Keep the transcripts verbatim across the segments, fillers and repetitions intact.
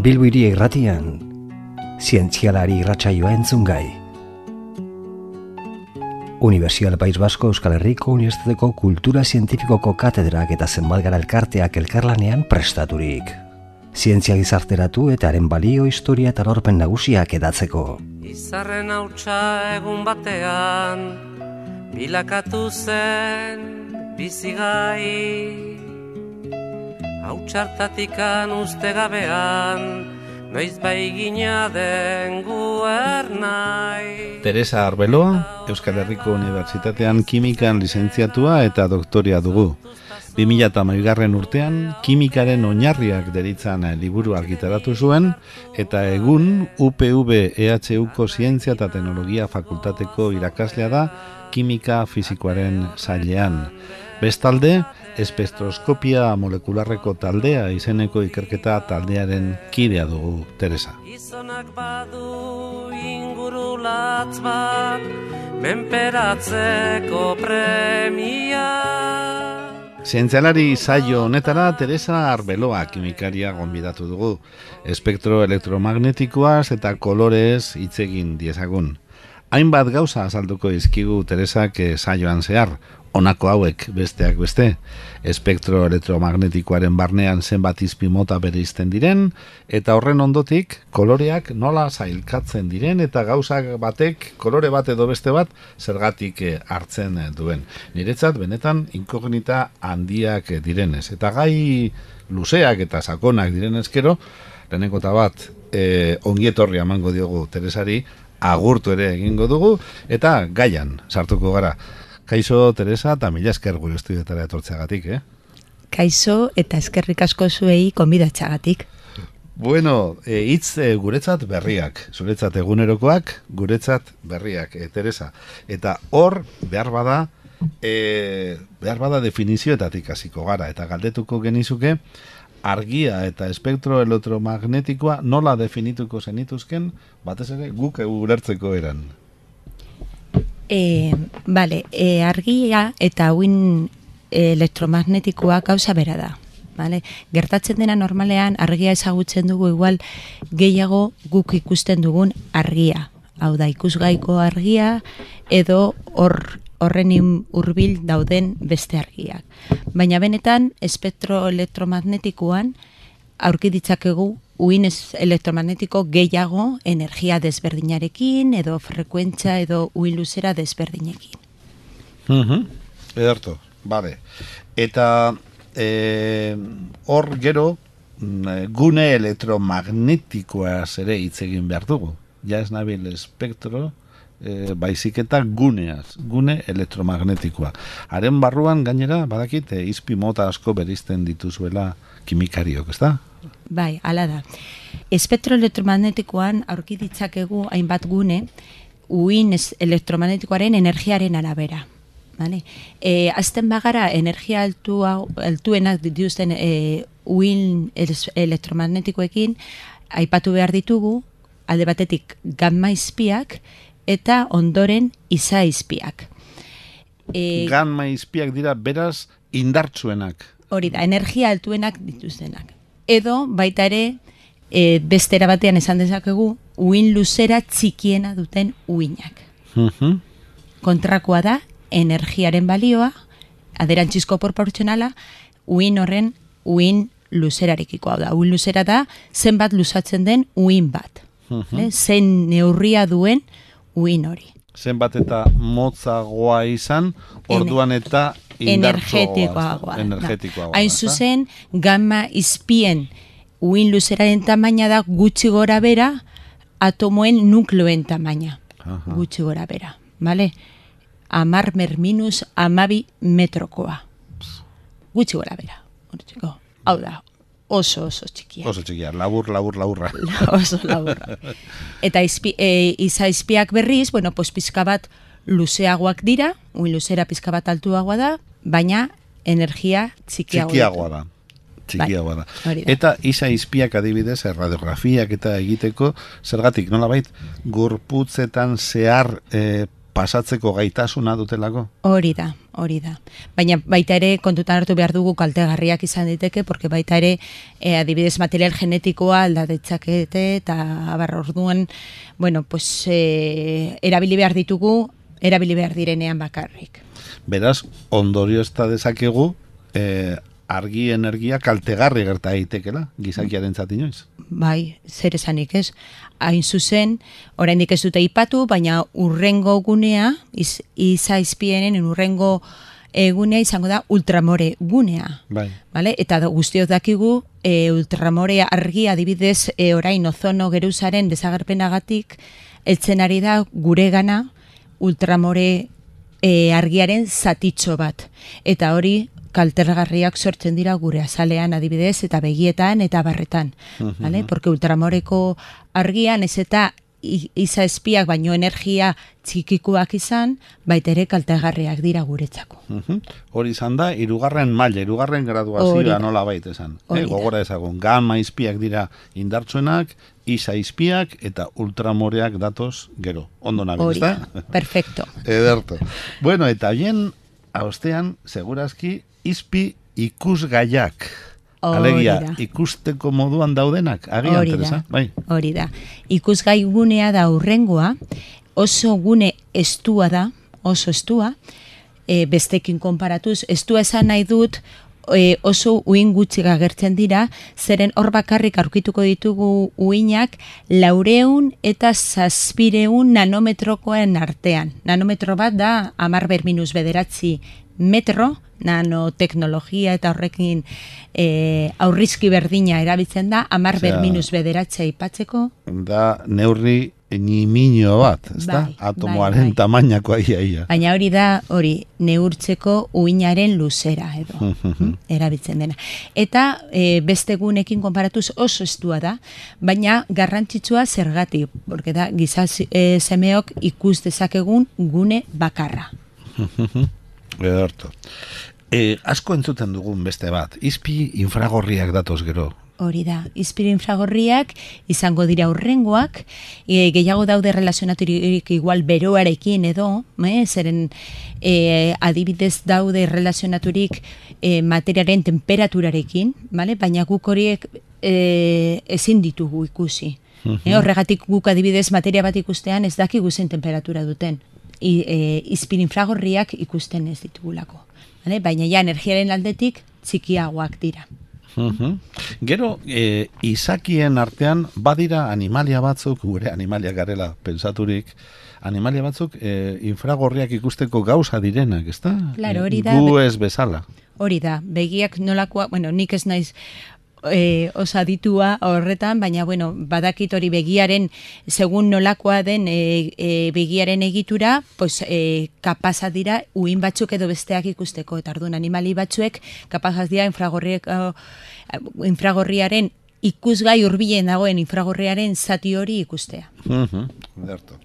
Bilbo Hiri Irratian, zientzialari irratsaioa entzungai. Unibertsial País Basko Euskal Herriko Unibertsitateko Kultura Zientifikoko katedrak eta zenbat gara elkarteak elkarlanean prestaturik. Zientzia gizarteratu eta haren balio, historia eta lorpen nagusiak edatzeko. Izarren hautsa egun batean, bilakatu zen bizigai. Hautsartatikan uste gabean, noiz bai gina den guernai. Teresa Arbeloa, Euskal Herriko Unibertsitatean kimikaen lizentziatua eta doktoria dugu. bi mila hamabigarren urtean, kimikaren oinarriak deritzan liburu argitaratu zuen, eta egun U P V E H Uko Zientzia eta Teknologia Fakultateko irakaslea da kimika fisikoaren sailean. Bestalde, espektroskopia molekularreko taldea izeneko ikerketa taldearen kidea dugu, Teresa. Gizonak badu ingurulatz bat, menperatzeko premia. Zientzialari saio honetara Teresa Arbeloa kimikaria gonbidatu dugu. Espektro elektromagnetikoaz eta kolorez hitz egin diezagun. Hainbat gauza azalduko dizkigu Teresak saioan zehar, honako hauek besteak beste. Espektro elektromagnetikoaren barnean zenbat izpi mota bereizten diren, eta horren ondotik koloreak nola sailkatzen diren eta gauzak batek kolore bat edo beste bat zergatik hartzen duen. Niretzat benetan inkognita handiak direnez. Eta gai luzeak eta sakonak direnezkero, lehenengo eta bat e, ongietorri emango diogu Teresari, agurtu ere egingo dugu, eta gaian sartuko gara. Kaixo, Teresa, eta mila esker gure estudioetara etortzeagatik, eh? Kaixo, eta eskerrik asko zuei konbidatzeagatik. Bueno, e, hitz e, guretzat berriak, zuretzat egunerokoak, guretzat berriak, e, Teresa. Eta hor, behar bada, e, behar bada definizioetatik hasiko gara, eta galdetuko genizuke, argia eta espektro elektromagnetikoa nola definituko zenituzken, batez ere guk ulertzeko eran. E, vale, e, argia eta uin elektromagnetikoa gauza bera da. Vale? Gertatzen dena normalean argia ezagutzen dugu igual gehiago guk ikusten dugun argia. Hau da, ikusgaiko argia edo hor horren hurbil dauden beste argiak. Baina benetan, espektro elektromagnetikoan aurki ditzakegu uin elektromagnetiko gehiago energia desberdinarekin edo frekuentzia edo uin luzera desberdinekin. Uh-huh. Ederto, bale. Eta e, hor gero gune elektromagnetikoa ere hitz egin behar dugu. Ja ez nabil espektro, E, baizik eta guneaz, gune elektromagnetikoa. Haren barruan gainera, badakit, e, izpi mota asko berizten dituzuela kimikariok, ez da? Bai, hala da. Espektro elektromagnetikoan aurki ditzakegu hainbat gune uin elektromagnetikoaren energiaren arabera. Vale? E, azten bagara energia altu, altuenak dituzten e, uin elektromagnetikoekin aipatu behar ditugu, alde batetik gamma izpiak, eta ondoren iza izpiak. E, Gamma izpiak dira beraz indartsuenak. Hori da, energia altuenak dituztenak. Edo baita ere e, bestera batean esan dezakegu uin luzera txikiena duten uinak. Uh-huh. Kontrakoa da energiaren balioa, aderantzisko proportzionala, uin horren uin luzerarekiko. Hau da, uin luzera da zenbat luzatzen den uin bat. Uh-huh. Zen neurria duen uin hori. Zenbat eta motzagoa izan, orduan eta energetikoagoa. Energetikoagoa. Hain zuzen, gamma izpien uin luzeraren tamaina da gutxi gora bera, atomoen nukleoen tamaina. Aha. Gutxi gora bera. Vale? Amar mer minus amabi metrokoa. Gutxi gora bera. Hau da, oso oso txikia. Oso txikia, labur, labur, laburra. Oso laburra. Eta izpi, e, iza izpiak berriz, bueno, pues pizka bat luzeagoak dira, uin luzera pizka bat altuagoa da, baina energia txikiagoa, txikiagoa da. Txikiagoa da. da. Eta iza izpiak adibidez, radiografiak eta egiteko, zergatik, nolabait, gorputzetan zehar e, pasatzeko gaitasuna dutelako? Hori da, hori da. Baina baita ere kontutan hartu behar dugu kaltegarriak izan diteke, porque baita ere e, adibidez material genetikoa aldadetzakete eta abar orduan, bueno, pues e, erabili behar ditugu, erabili behar direnean bakarrik. Beraz, ondorio ez da dezakegu, e, argi energia kaltegarri gerta daitekela, gizakiaren inoiz. Bai, zer esanik ez. Hain zuzen, oraindik ez dute ipatu, baina urrengo gunea, iz, izaizpienen urrengo egunea izango da ultramore gunea. Bai. Vale? Eta da, guztiok dakigu, e, ultramore argia adibidez e, orain ozono geruzaren desagerpenagatik, eltzen ari da guregana ultramore e, argiaren zatitxo bat. Eta hori kaltergarriak sortzen dira gure azalean adibidez eta begietan eta barretan. Uh-huh. Vale? Porque ultramoreko argian ez eta iza espiak baino energia txikikuak izan, baita ere kaltegarriak dira guretzako. Uh-huh. Hori izan da, irugarren maila, irugarren graduazioa nola baita esan. Eh, gogora ezagun, gamma izpiak dira indartsuenak, iza izpiak eta ultramoreak datoz gero. Ondo nabil, ez da? Perfecto. Ederto. Bueno, eta bien, haustean, segurazki, izpi ikusgaiak. Alegia, ikusteko moduan daudenak, agian, Teresa? Bai. Hori da. Ikusgai gunea da urrengoa, oso gune estua da, oso estua, e, bestekin konparatuz, estua esan nahi dut, e, oso uin gutxi agertzen dira, zeren hor bakarrik aurkituko ditugu uinak laureun eta zazpireun nanometrokoen artean. Nanometro bat da, amar ber minus bederatzi metro, nanoteknologia eta horrekin e, aurrizki berdina erabiltzen da, amar ber minus bederatzea ipatzeko. Da neurri nimino bat, ez da? Bai, atomoaren bai, bai. tamainakoa ia, ia. Baina hori da, hori, neurtzeko uinaren luzera edo, erabiltzen dena. Eta e, beste gunekin konparatuz oso estua da, baina garrantzitsua zergatik, porque da, giza e, semeok ikus dezakegun gune bakarra. Ederto. E, asko entzuten dugun beste bat, izpi infragorriak datoz gero. Hori da, izpi infragorriak izango dira urrengoak, e, gehiago daude relazionaturik igual beroarekin edo, eh, zeren e, adibidez daude relazionaturik e, materiaren temperaturarekin, vale? Baina guk horiek e, ezin ditugu ikusi. Uh-huh. E, horregatik guk adibidez materia bat ikustean ez dakigu zen temperatura duten. I, e, izpir infragorriak ikusten ez ditugulako. Vale? Baina ja energiaren aldetik txikiagoak dira. Uh-huh. Gero, e, izakien artean badira animalia batzuk, gure animalia garela pensaturik, animalia batzuk e, infragorriak ikusteko gauza direnak, ezta? Claro, hori da. Gu ez bezala. Hori da, begiak nolakoa, bueno, nik ez naiz E, osaditua horretan, baina bueno, badakit hori begiaren, segun nolakoa den e, e, begiaren egitura, pues, e, kapasa dira uin batzuk edo besteak ikusteko, eta orduan animali batzuek kapazaz dira infragorriak, uh, infragorriaren ikusgai hurbilen dagoen infragorriaren zati hori ikustea. Uh-huh. Derto.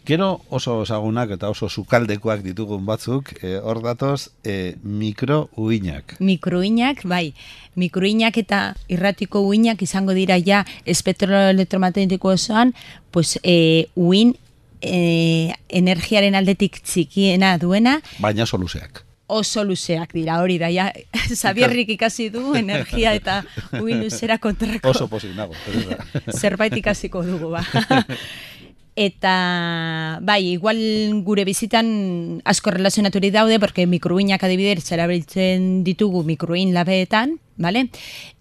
Gero oso ezagunak eta oso sukaldekoak ditugun batzuk, e, hor datoz, e, mikrouinak. Mikrouinak, bai. Mikrouinak eta irratiko uinak izango dira ja espektro elektromagnetiko osoan, pues, e, uin e, energiaren aldetik txikiena duena. Baina oso luzeak. Oso luzeak dira, hori da, ja, Zabierrik ikasi du energia eta uin luzera kontrako. Oso pozik nago. Zerbait ikasiko dugu, ba. Eta, bai, igual gure bizitan asko relazionaturi daude, porque mikrouinak adibidez erabiltzen ditugu mikrouin labeetan, vale?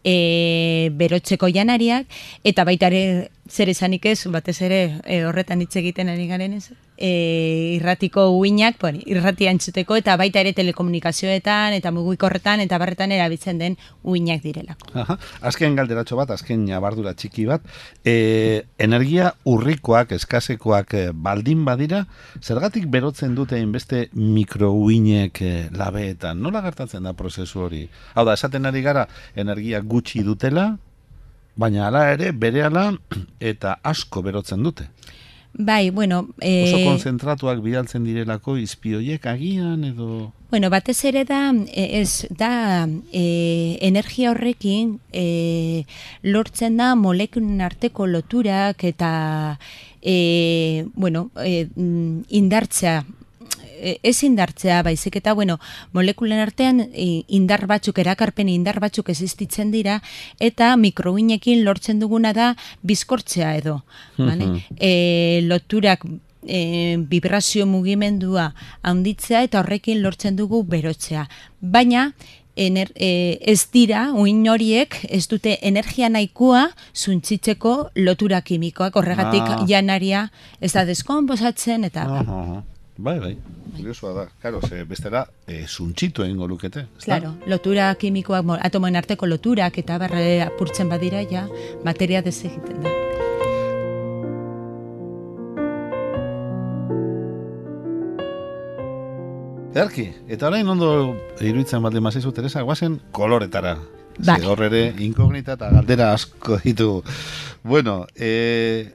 E, berotzeko janariak, eta baita ere zer esanik ez, batez ere e, horretan hitz egiten ari garen ez, e, irratiko uinak, bueno, irratia entzuteko, eta baita ere telekomunikazioetan, eta mugikorretan, eta barretan erabiltzen den uinak direlako. Aha. Azken galderatxo bat, azken nabardura txiki bat, e, energia urrikoak, eskasekoak e, baldin badira, zergatik berotzen dute inbeste mikrouinek e, labeetan? Nola gertatzen da prozesu hori? Hau da, esaten ari gara, energia gutxi dutela, baina hala ere berehala eta asko berotzen dute. Bai, bueno... E... Oso konzentratuak bidaltzen direlako izpioiek agian edo... Bueno, batez ere da, ez, da e, energia horrekin e, lortzen da molekulen arteko loturak eta e, bueno, e, indartzea, ez indartzea baizik eta, bueno, molekulen artean indar batzuk, erakarpen indar batzuk existitzen dira, eta mikrouinekin lortzen duguna da bizkortzea edo. Vale? E, loturak e, vibrazio mugimendua handitzea eta horrekin lortzen dugu berotzea. Baina, Ener, e, ez dira, uin horiek, ez dute energia nahikoa zuntzitzeko lotura kimikoak, horregatik ah. janaria ez da deskonposatzen, eta... Ah, ah, ah. Bai, bai, kuriosoa da. Claro, ze bestela e, zuntzitu egingo lukete. Claro, lotura kimikoak, atomoen arteko loturak eta barre apurtzen badira, ja, materia desegiten da. Edarki, eta orain ondo iruditzen baldin mazizu, Teresa, guazen koloretara. Bai. Ze hor ere inkognita eta galdera asko ditu. Bueno, e,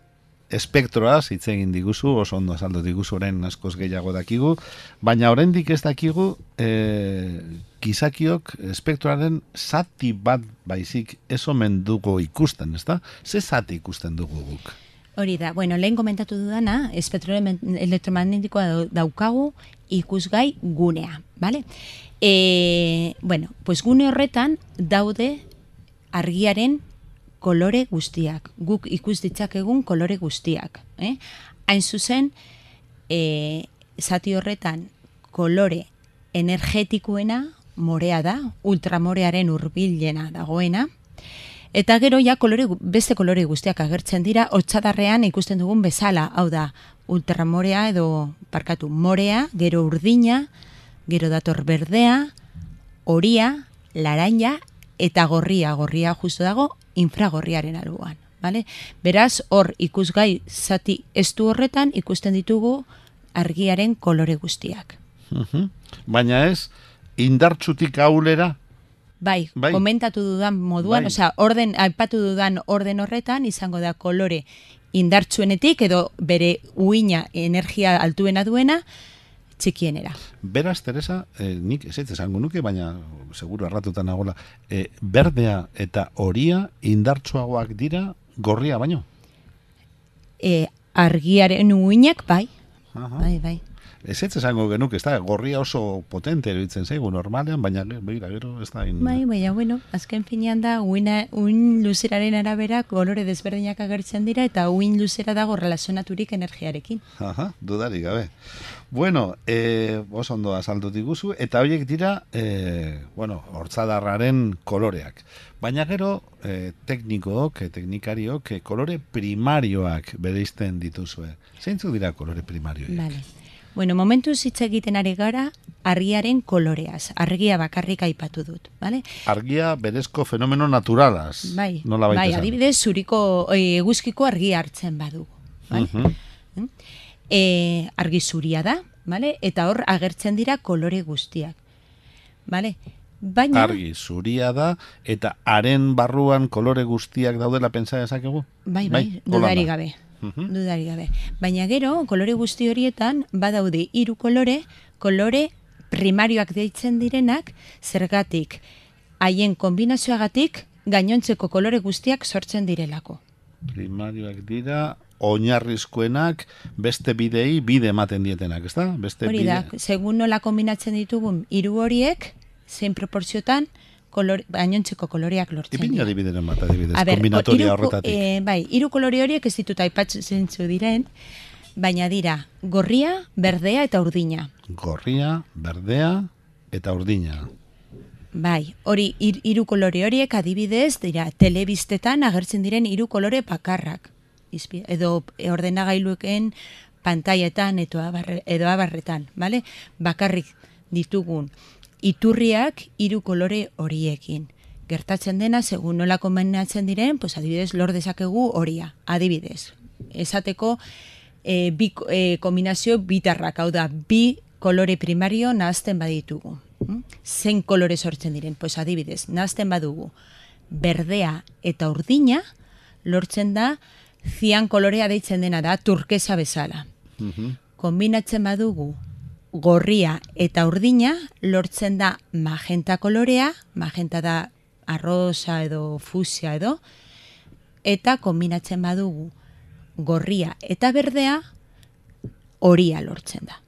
espektroaz hitz egin diguzu, oso ondo azaldu diguzu orain askoz gehiago dakigu, baina oraindik ez dakigu e, gizakiok espektroaren zati bat baizik ez omen dugu ikusten, ezta? Ze zati ikusten dugu guk? Hori da, bueno, lehen komentatu dudana, espektro elektromagnetikoa daukagu ikusgai gunea, bale? E, bueno, pues gune horretan daude argiaren kolore guztiak, guk ikus ditzakegun kolore guztiak. Eh? Hain zuzen, e, zati horretan kolore energetikoena morea da, ultramorearen hurbilena dagoena, eta gero ja kolore, beste kolore guztiak agertzen dira, hotzadarrean ikusten dugun bezala, hau da, ultramorea edo, parkatu, morea, gero urdina, gero dator berdea, horia, laranja, eta gorria, gorria justu dago, infragorriaren alboan. Vale? Beraz, hor ikusgai zati estu horretan ikusten ditugu argiaren kolore guztiak. Uh-huh. Baina ez, indartsutik aulera? Bai, bai, komentatu dudan moduan, bai. Osea, orden, aipatu dudan orden horretan, izango da kolore indartsuenetik, edo bere uina energia altuena duena, txikienera. Beraz, Teresa, eh, nik ez ez esango nuke, baina seguru arratutan nagola, eh, berdea eta horia indartsuagoak dira gorria baino? E, argiaren uinak, bai. Aha. Bai, bai. Ez ez esango genuke, ez da, gorria oso potente eruditzen zaigu normalean, baina begira, gero ez da... In... Bai, baina, bueno, azken finean da, uina, uin luzeraren arabera kolore desberdinak agertzen dira, eta uin luzera dago relazionaturik energiarekin. Aha, dudarik gabe. Bueno, eh, oso ondo azaldu diguzu, eta horiek dira, eh, bueno, hortzadarraren koloreak. Baina gero, eh, teknikook, teknikariok, eh, kolore primarioak bereizten dituzue. Zeintzuk dira kolore primarioak? Vale. Bueno, momentu hitz egiten ari gara argiaren koloreaz. Argia bakarrik aipatu dut, vale? Argia berezko fenomeno naturalaz. Bai, nola bai, adibidez zuriko eguzkiko argia hartzen badugu, vale? Uh-huh. E, argi zuria da, vale? Eta hor agertzen dira kolore guztiak. Vale? Baina argi zuria da eta haren barruan kolore guztiak daudela pentsa dezakegu? Bai, bai, bai dudari gabe. Uh-huh. Dudari gabe. Baina gero, kolore guzti horietan, badaude hiru kolore, kolore primarioak deitzen direnak, zergatik, haien kombinazioagatik, gainontzeko kolore guztiak sortzen direlako. Primarioak dira, oinarrizkoenak, beste bidei bide ematen dietenak, ezta? Beste hori da, bide... segun nola kombinatzen ditugun hiru horiek, zein proportziotan, kolore, gainontzeko koloreak lortzen. Ipin adibideren bat, adibidez, kombinatoria iru, horretatik. E, bai, hiru kolore horiek ez ditut aipatzen zu diren, baina dira gorria, berdea eta urdina. Gorria, berdea eta urdina. Bai, hori hiru kolore horiek adibidez dira telebistetan agertzen diren hiru kolore bakarrak. Izpi, edo ordenagailueken pantailetan edo abarre, edo abarretan, vale? Bakarrik ditugun iturriak hiru kolore horiekin. Gertatzen dena, segun nola kombinatzen diren, pues adibidez, lor dezakegu horia, adibidez. Esateko, e, bi e, kombinazio bitarrak, hau da, bi kolore primario nahazten baditugu. Hm? Zein kolore sortzen diren, pues adibidez, nahazten badugu berdea eta urdina, lortzen da, zian kolorea deitzen dena da, turkesa bezala. Uh-huh. Kombinatzen badugu, gorria eta urdina, lortzen da magenta kolorea, magenta da arrosa edo fusia edo, eta kombinatzen badugu gorria eta berdea, horia lortzen da.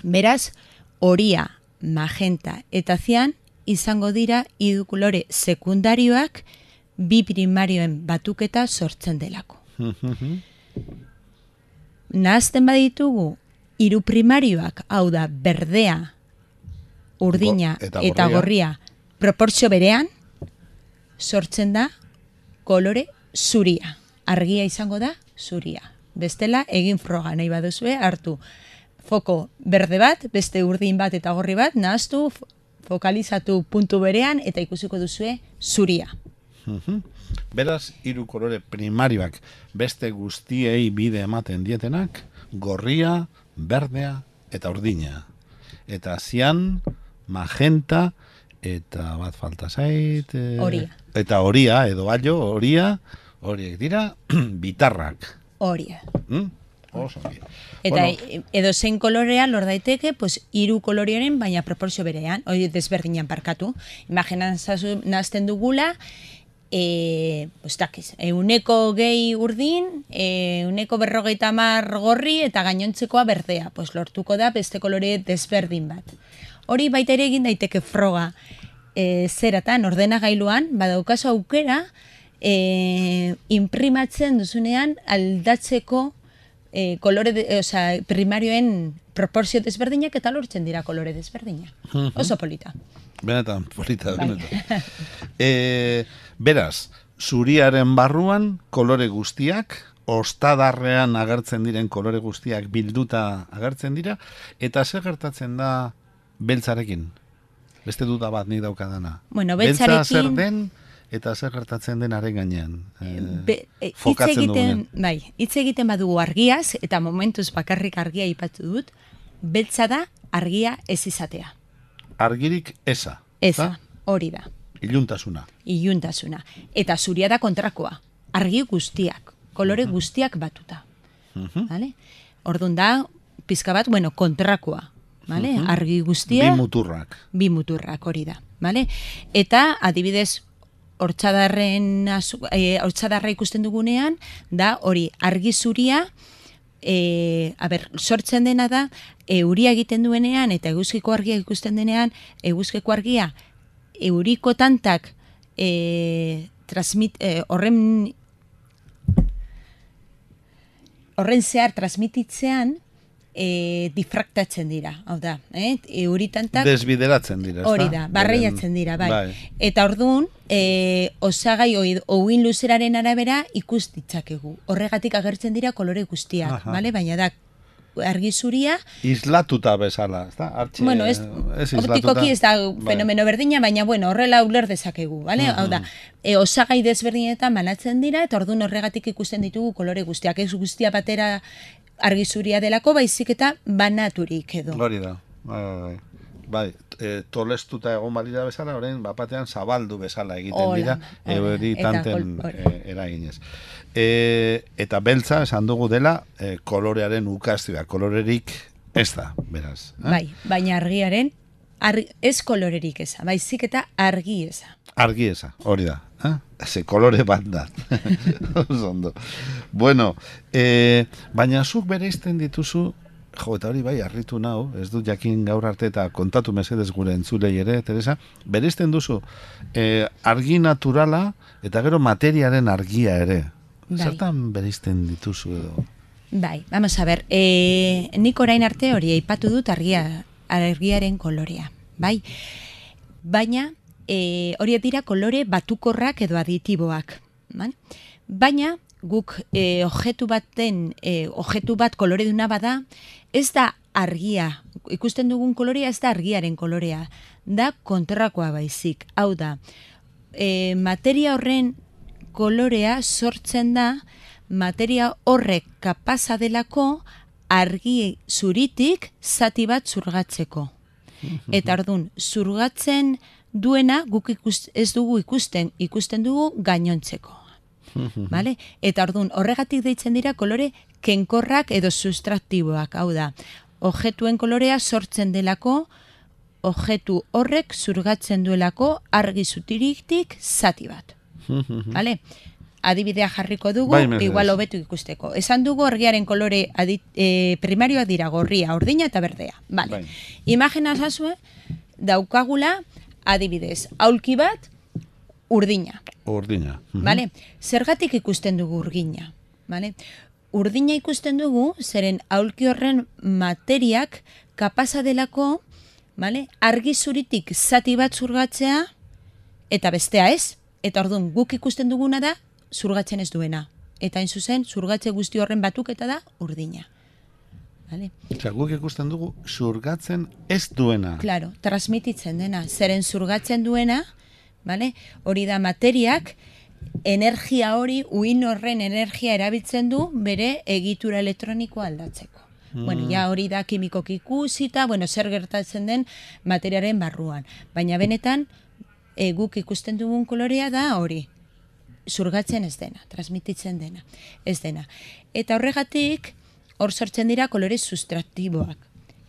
Beraz, horia, magenta eta zian izango dira hiru kolore sekundarioak bi primarioen batuketa sortzen delako. Nahazten baditugu hiru primarioak, hau da berdea, urdina Go- eta eta gorria. gorria proportzio berean sortzen da kolore zuria. Argia izango da zuria. Bestela egin froga nahi baduzue hartu foko berde bat, beste urdin bat eta gorri bat, nahaztu, f- fokalizatu puntu berean eta ikusiko duzue zuria. Beraz, hiru kolore primarioak beste guztiei bide ematen dietenak, gorria, berdea eta urdina. Eta zian, magenta, eta bat falta zait... eh, Horia. Eta horia, edo allo, horia, horiek dira, bitarrak. Horia. Mm? Oso ongi. Eta Bueno, edo zein kolorea lor daiteke, pues hiru kolorioren baina proportzio berean, hori desberdinan parkatu. Imaginan zazu nazten dugula, e, pues dakiz, euneko gehi urdin, e, euneko berrogeita hamar gorri eta gainontzekoa berdea. Pues lortuko da beste kolore desberdin bat. Hori baita ere egin daiteke froga e, zeratan, ordenagailuan, badaukazu aukera, e, imprimatzen duzunean aldatzeko e, kolore, de, e, osea, primarioen proportzio desberdinak eta lortzen dira kolore desberdinak. Oso polita. benetan, polita, Bai. benetan. e, beraz, zuriaren barruan kolore guztiak, ostadarrean agertzen diren kolore guztiak bilduta agertzen dira, eta zer gertatzen da beltzarekin? Beste duda bat nik daukadana. Bueno, Beltza beltzarekin- zer den eta zer gertatzen denaren gainean. E, Be- e, hitz fokatzen egiten, dugunean. bai, hitz egiten badugu argiaz, eta momentuz bakarrik argia ipatu dut, beltza da argia ez izatea. Argirik eza. Eza, hori da, Iluntasuna. iluntasuna. Eta zuria da kontrakoa, argi guztiak, kolore guztiak batuta. Vale? Orduan da, pizka bat, bueno, kontrakoa. Vale? Argi guztia, Bi muturrak. bi muturrak hori da. Vale? Eta adibidez, hortzadarren azu- eh, hortzadarra ikusten dugunean, da hori argi zuria, e, a ber, sortzen dena da, euria egiten duenean eta eguzkiko argia ikusten denean, eguzkiko argia euriko tantak e, transmit, e, horren horren zehar transmititzean e, difraktatzen dira, hau da, eh? euritantak Desbideratzen dira, ezta? hori da, barreiatzen Beren- dira, bai. Eta orduan, e, osagai oi- ouin luzeraren arabera ikus ditzakegu. Horregatik agertzen dira kolore guztiak, Aha. bale? Baina da, argi zuria, Islatuta bezala, ezta? Artxe, bueno, ez, ez islatuta. optikoki ez da Bai. fenomeno berdina, baina bueno, horrela uler dezakegu, bale? Hau da, e, osagai desberdinetan banatzen dira, eta orduan horregatik ikusten ditugu kolore guztiak. Ez guztia batera argi zuria delako, baizik eta banaturik edo. Hori da. Bai, bai, bai. Bai, e, tolestuta egon balira bezala, orain bapatean zabaldu bezala egiten Hola, dira, hola. euri Eta tanten kol- hori. e, eraginez. E, eta beltza, esan dugu dela, e, kolorearen ukazioa, kolorerik ez da, beraz. Eh? Bai, baina argiaren, argi, ez kolorerik eza, baizik eta argi eza. Argi eza, hori da. Eh? Ze kolore bat da. Oso ondo. Bueno, e, baina zuk bereizten dituzu, jo, eta hori bai, harritu nau, ez dut jakin gaur arte eta kontatu mesedez gure entzulei ere, Teresa, bereizten duzu e, argi naturala eta gero materiaren argia ere. Bai. Zertan bereizten dituzu edo? Bai, vamos a ver, e, nik orain arte hori aipatu dut argia, argiaren kolorea, bai? Baina, e, horiek dira kolore batukorrak edo aditiboak, bai? Baina, guk e, objektu baten, e, objektu bat kolore duna bada, ez da argia, ikusten dugun kolorea ez da argiaren kolorea, da kontrakoa baizik, hau da, e, materia horren kolorea sortzen da, materia horrek kapaza delako argi zuritik zati bat zurgatzeko. Eta ordun zurgatzen duena guk ikus, ez dugu ikusten, ikusten dugu gainontzeko. Vale? Eta ordun horregatik deitzen dira kolore kenkorrak edo sustraktiboak, hau da, objektuen kolorea sortzen delako, objektu horrek zurgatzen duelako argi zuritik zati bat. Vale? adibidea jarriko dugu, Bai, mesedez. igual hobetu ikusteko. Esan dugu argiaren kolore adit, e, primarioak dira gorria, urdina eta berdea. Vale. Bai. Imagina zazue, daukagula adibidez, aulki bat urdina. Urdina. Mhm. Vale? Zergatik ikusten dugu urdina. Vale? Urdina ikusten dugu, zeren aulki horren materiak kapasa delako, vale? Argi zuritik zati bat zurgatzea, eta bestea ez. Eta orduan guk ikusten duguna da, zurgatzen ez duena. Eta hain zuzen, zurgatze guzti horren batuketa da urdina. Vale? Osea, guk ikusten dugu zurgatzen ez duena. Claro, transmititzen dena. Zeren zurgatzen duena, vale? Hori da materiak, energia hori, uin horren energia erabiltzen du bere egitura elektronikoa aldatzeko. Mm. Bueno, ja hori da kimikoki ikusita, bueno, zer gertatzen den materiaren barruan. Baina benetan, e, guk ikusten dugun kolorea da hori. Zurgatzen ez dena, transmititzen dena, ez dena. Eta horregatik, hor sortzen dira kolore sustraktiboak.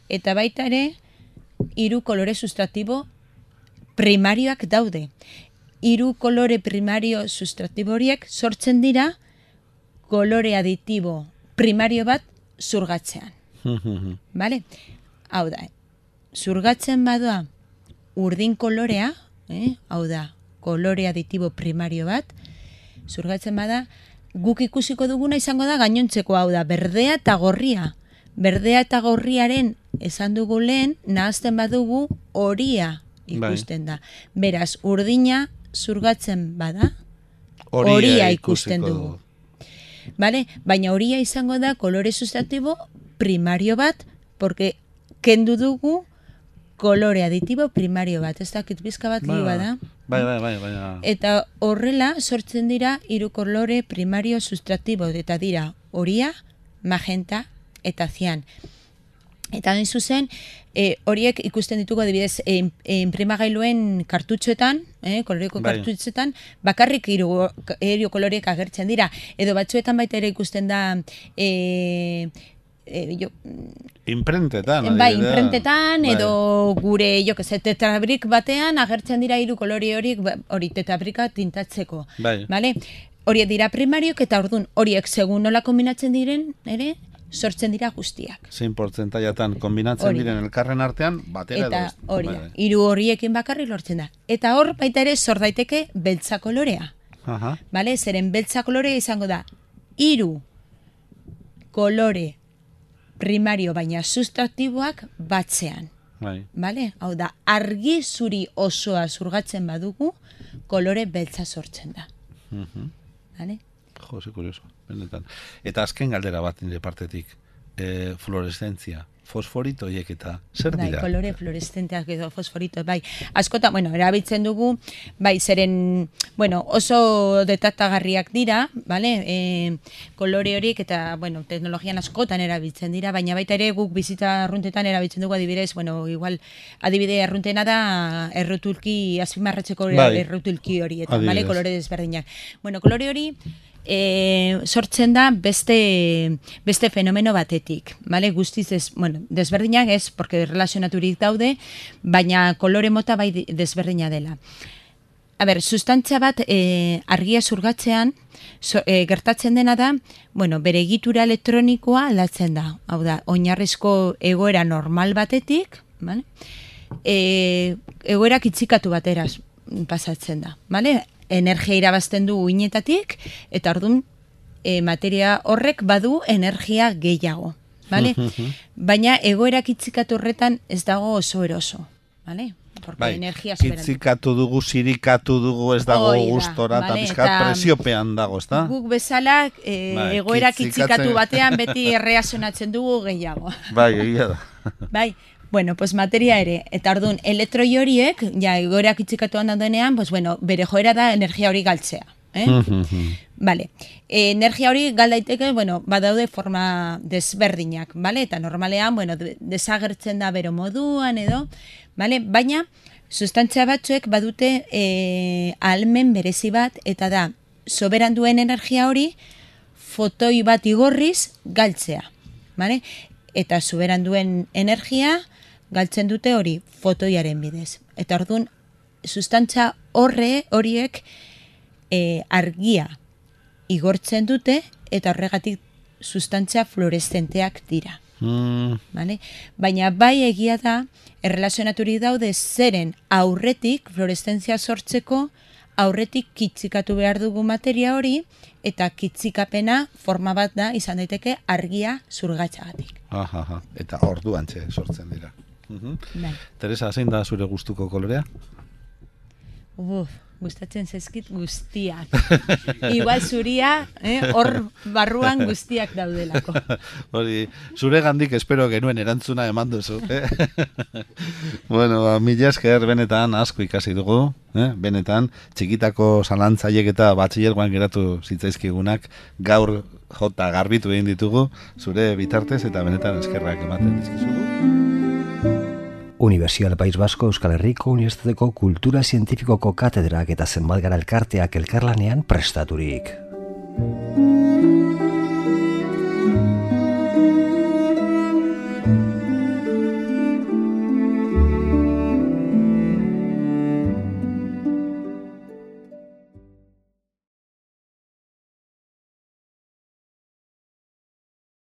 Eta baita ere, hiru kolore sustraktibo primarioak daude. Hiru kolore primario sustraktibo horiek sortzen dira kolore aditibo primario bat zurgatzean. Vale? Hau da, zurgatzen badoa urdin kolorea, eh? Hau da, kolore aditibo primario bat, zurgatzen bada, guk ikusiko duguna izango da gainontzeko, hau da, berdea eta gorria. Berdea eta gorriaren esan dugu lehen, nahazten badugu horia ikusten da. Beraz, urdina zurgatzen bada, horia ikusten dugu. Vale? Baina horia izango da kolore sustraktibo primario bat, porque kendu dugu kolore aditibo primario bat. Ez dakit bizka bat liu bada. Bai, bai, bai, bai. Eta horrela sortzen dira hiru kolore primario sustraktibo, eta dira horia, magenta eta zian. Eta hain zuzen, e, horiek ikusten ditugu adibidez e, e, inprimagailuen kartutxoetan, e, koloreko bai. kartutxoetan, bakarrik hiru hiru koloreek agertzen dira. Edo batzuetan baita ere ikusten da e, e, jo, Imprentetan. bai, adibidea. imprentetan, Bai. edo gure, jo, que tetrabrik batean agertzen dira hiru kolore horiek, ba, hori tetrabrika tintatzeko. Bai. Vale? Horiek dira primariok eta ordun horiek segun nola kombinatzen diren, ere, sortzen dira guztiak. Zein portzentaiatan kombinatzen Hori da. diren elkarren artean, batera Eta edo. hori Bai, da, bai. hiru horiekin bakarrik lortzen da. Eta hor baita ere sor daiteke beltza kolorea. Aha. Vale? Zeren beltza kolorea izango da hiru kolore primario baina sustraktiboak batzean. Bai. Vale? Hau da, argi zuri osoa zurgatzen badugu, kolore beltza sortzen da. Mhm. Vale? Jo, ze kurioso, benetan. Eta azken galdera bat nire partetik, e, fluoreszentzia, fosforito hiek eta zer Bai, dira? kolore fluoreszenteak edo fosforito, bai. Askotan, bueno, erabiltzen dugu, bai, zeren, bueno, oso detaktagarriak dira, vale? E, kolore horiek eta, bueno, teknologian askotan erabiltzen dira, baina baita ere guk bizitza arruntetan erabiltzen dugu adibidez, bueno, igual, adibide arruntena da errutulki, azpimarratzeko Bai. errutulki hori, eta, Adibidez. vale, kolore desberdinak. Bueno, kolore hori, E, sortzen da beste beste fenomeno batetik, vale? Guztiz ez, bueno, desberdinak ez, porque relazionaturik daude, baina kolore mota bai desberdina dela. A ber, sustantzia bat e, argia zurgatzean so, e, gertatzen dena da, bueno, bere egitura elektronikoa aldatzen da. Hau da, oinarrizko egoera normal batetik, vale? E, egoera kitzikatu bateraz pasatzen da, vale? Energia irabazten du uinetatik, eta orduan e, materia horrek badu energia gehiago. Vale? Baina egoera kitzikatu horretan ez dago oso eroso. Vale? Porque Bai, energia superan. kitzikatu dugu, sirikatu dugu, ez dago Hoi da, gustora, eta vale, pizkat eta presiopean dago, ez da? Guk bezala e, Bai, egoera kitzikatzen- kitzikatu batean beti erreazionatzen dugu gehiago. Bai, egia da. Bai, bueno, pues materia ere, eta orduan elektroi horiek, ja, egoera kitzikatuan daudenean, pues bueno, bere joera da energia hori galtzea. Eh? Vale. E, energia hori gal daiteke, bueno, badaude forma desberdinak, vale? Eta normalean, bueno, de- desagertzen da bero moduan edo, vale? Baina, sustantzia batzuek badute e, ahalmen berezi bat, eta da, soberan duen energia hori fotoi bat igorriz galtzea, vale? Eta soberan duen energia galtzen dute hori fotoiaren bidez. Eta orduan, sustantzia horre horiek e, argia igortzen dute eta horregatik sustantzia fluoreszenteak dira. Mm. Vale? Baina bai egia da, errelazionaturik daude zeren aurretik, fluoreszentzia sortzeko, aurretik kitzikatu behar dugu materia hori, eta kitzikapena forma bat da, izan daiteke argia zurgatxagatik. Aha, aha. Eta orduan txe sortzen dira. Mhm. Bai. Teresa, zein da zure gustuko kolorea? Uf, gustatzen zaizkit guztiak. Igual zuria, eh, hor barruan guztiak daudelako. Hori, zure gandik espero genuen erantzuna eman duzu. Eh? Bueno, ba, mila esker benetan asko ikasi dugu. Eh? Benetan, txikitako zalantzaiek eta batxillergoan geratu zitzaizkigunak gaur jota garbitu egin ditugu, zure bitartez eta benetan eskerrak ematen dizkizugu. Universidad País Vasco Euskal Herriko Unibertsitateko Kultura Zientifikoko Katedrak eta zenbat gara elkarteak elkarlanean prestaturik.